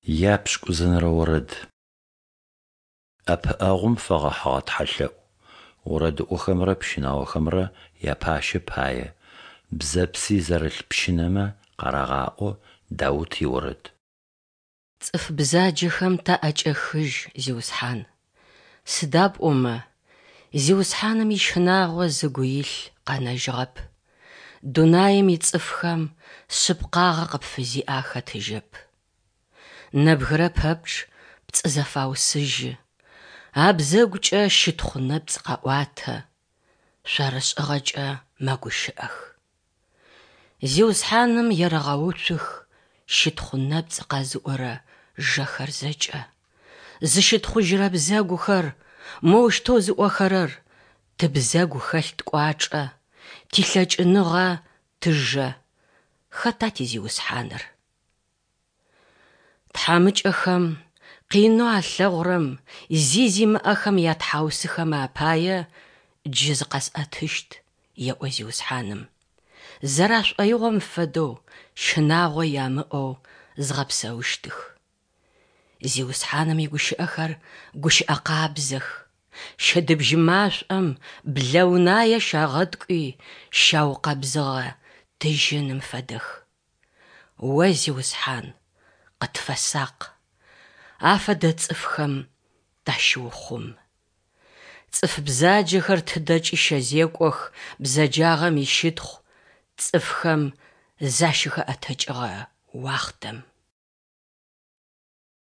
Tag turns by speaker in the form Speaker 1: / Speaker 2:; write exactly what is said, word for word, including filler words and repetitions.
Speaker 1: Япшӏыкӏузэнэрэ орэд. ӏэпыӏэгъум фэгъэхьыгъэ тхьэлъэӏу. Орэдыӏохэмрэ пщынаохэмрэ япащэ пае. Бзэпси зэрылъ пщынэмэ къарагъаӏо. Даут иорэд.
Speaker 2: Цӏыф бзаджэхэм таӏэкӏэхыжь, Зиусхьан, сыда пӏомэ Зиусхьаным ищынагъо зыгу илъ къэнэжьыгъэп, дунаим ицӏыфхэм шъыпкъагъэ къыпфызиӏэ ахэтыжьэп. Нэбгырэ пэпчъ пцӏы зэфаусыжьы, абзэгукӏэ щытхъу нэпцӏ къаӏуатэ, шъорышӏыгъэкӏэ мэгущыӏэх. Зиусхьаным ерэгъэуцух щытхъу нэпцӏ къэзыӏорэ жэхэр зэкӏэ, зыщытхъужьырэ бзэгухэр, моущтэу зыӏохэрэр: Тыбзэгу хэлъ ткӏуачӏэ, тилъэкӏыныгъэ тыжэ, хэта тизиусхьаныр? Тхьамыкӏэхэм къинэу алъэгъурэм, зи зимыӏэхэм ятхьаусыхэмэ апае джы зыкъэсӏэтыщт, еӏо Зиусхьаным, зэрашӏоигъом фэдэу щынагъо ямыӏэу згъэпсэущтых. Зиусхьаным игущыӏэхэр гущыӏэ къабзэх, щэдыбжь машӏом блэунае щагъэткӏуи щаукъэбзыгъэ тыжьыным фэдэх. О Зиусхьан, къытфэсакъ, афэдэ цӏыфхэм тащыухъум. Цӏыф бзаджэхэр тыдэкӏи щэзекӏох бзэджагъэм ищытхъу цӏыфхэм защыхэӏэтыкӏыгъэ уахътэм.